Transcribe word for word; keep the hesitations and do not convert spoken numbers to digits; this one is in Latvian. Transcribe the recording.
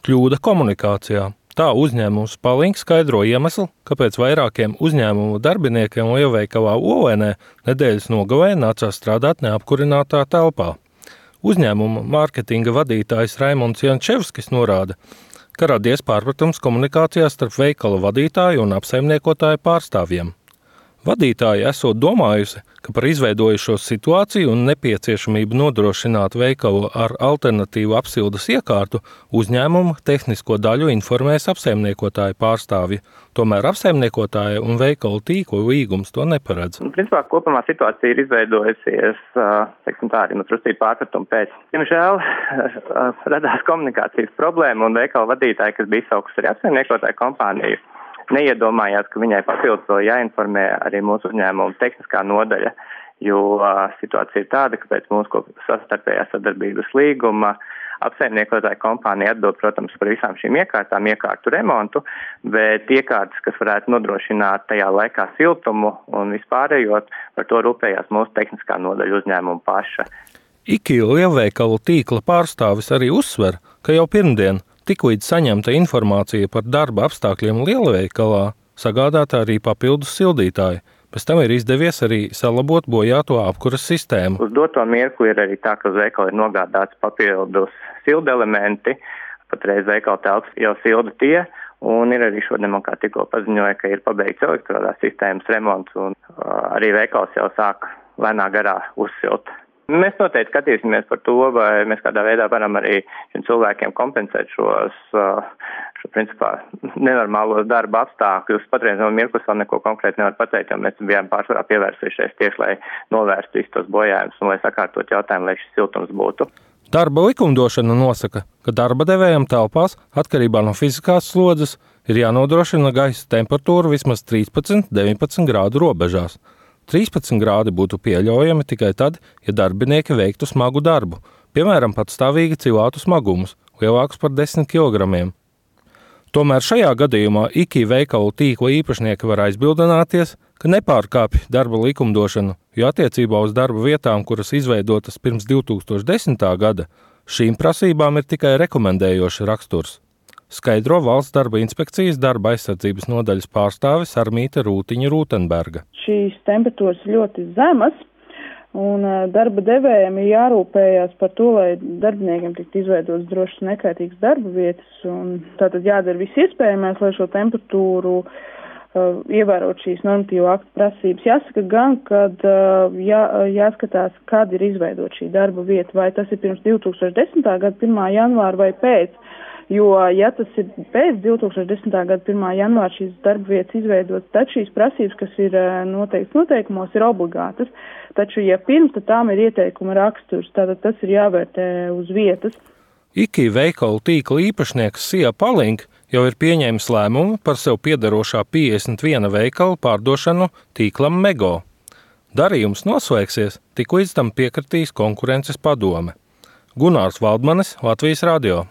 Kļūda komunikācijā. Tā uzņēmums Palink skaidro iemeslu, kāpēc vairākiem uzņēmumu darbiniekiem lielveikalā Olēnē nedēļas nogalē nācās strādāt neapkurinātā telpā. Uzņēmuma mārketinga vadītājs Raimonds Jančevskis norāda, ka radies pārpratums komunikācijā starp veikala vadītāju un apsaimniekotāju pārstāvjiem. Vadītāji esot domājusi, ka par izveidojušos situāciju un nepieciešamību nodrošināt veikalu ar alternatīvu apsildes iekārtu uzņēmuma tehnisko daļu informēs apsaimniekotāju pārstāvji. Tomēr apsaimniekotāja un veikalu tīklu līgums to neparedz. Principā kopumā situācija ir izveidojusies, teiksim tā, arī no trustību pārpratumu pēc. Diemžēl radās komunikācijas problēma un veikalu vadītāji, kas bija izsaukusi arī apsaimniekotāju kompāniju, neiedomājās, ka viņai papildus vēl jāinformē arī mūsu uzņēmuma tehniskā nodaļa, jo uh, situācija ir tāda, ka pēc mūsu sastarpējās sadarbības līguma apsaimniekotāja kompānija atbild, protams, par visām šīm iekārtām, iekārtu remontu, bet iekārtas, kas varētu nodrošināt tajā laikā siltumu un vispārējot, par to rūpējās mūsu tehniskā nodaļa uzņēmuma paša. IKI lielveikalu tīkla pārstāvis arī uzsver, ka jau pirmdien tiklīdz saņemta informācija par darba apstākļiem lielveikalā, sagādāta arī papildus sildītāji. Pēc tam ir izdevies arī salabot bojāto apkuras sistēmu. Uz doto mirkli ir arī tā, ka uz veikalu ir nogādāts papildus sildelementi, patreiz veikala telpas jau silda tie, un ir arī šodien man kā tikko paziņoja, ka ir pabeigts elektrodās sistēmas remonts, un uh, arī veikals jau sāk lēnā garā uzsilt. Mēs noteikti skatīsimies par to, vai mēs kādā veidā varam arī šiem cilvēkiem kompensēt šos, šo principā nenormālos darba apstākļus. Patreiz no mirklis vēl neko konkrēti nevar pateikt, jo mēs bijām pārsvarā pievērsušies tieši, lai novērstu visus tos bojājumus un lai sakārtot jautājumu, lai šis siltums būtu. Darba likumdošana nosaka, ka darba devējam telpās atkarībā no fiziskās slodzes ir jānodrošina gaisa temperatūra vismaz trīspadsmit līdz deviņpadsmit grādu robežās. trīspadsmit grādi būtu pieļaujami tikai tad, ja darbinieki veiktu smagu darbu, piemēram, patstāvīgi cilātu smagumus, lielākus par desmit kilogramiem. Tomēr šajā gadījumā IKI veikalu tīkla īpašnieki var aizbildināties, ka nepārkāpj darba likumdošanu, jo attiecībā uz darba vietām, kuras izveidotas pirms divi tūkstoši desmitā gada, šīm prasībām ir tikai rekomendējošs raksturs. Skaidro Valsts darba inspekcijas darba aizsardzības nodaļas pārstāve Sarmīte Rūtiņa Rūtenberga. Šīs temperatūras ļoti zemas, un darba devējiem ir jārūpējās par to, lai darbiniekiem tiktu izveidotas drošas un nekaitīgas darba vietas, un tātad jādara viss iespējamais, lai šo temperatūru uh, ievērot šīs normatīvo aktu prasības. Jāsaka gan, kad uh, jā, jāskatās, kad ir izveidot šī darba vieta, vai tas ir pirms divi tūkstoši desmitā gada pirmā janvāra vai pēc. Jo, ja tas ir pēc divi tūkstoši desmitā gada pirmā janvāra šīs darba vietas izveidotas, tad šīs prasības, kas ir noteikts noteikumos, ir obligātas. Taču, ja pirms, tad tām ir ieteikuma raksturs, tātad tas ir jāvērtē uz vietas. IKI veikalu tīkla īpašnieks Sija Palink jau ir pieņēmis lēmumu par sev piederošā piecdesmit viena veikala pārdošanu tīklam Mego. Darījums noslēgsies, tik līdz tam piekritīs konkurences padome. Gunārs Valdmanis, Latvijas radio.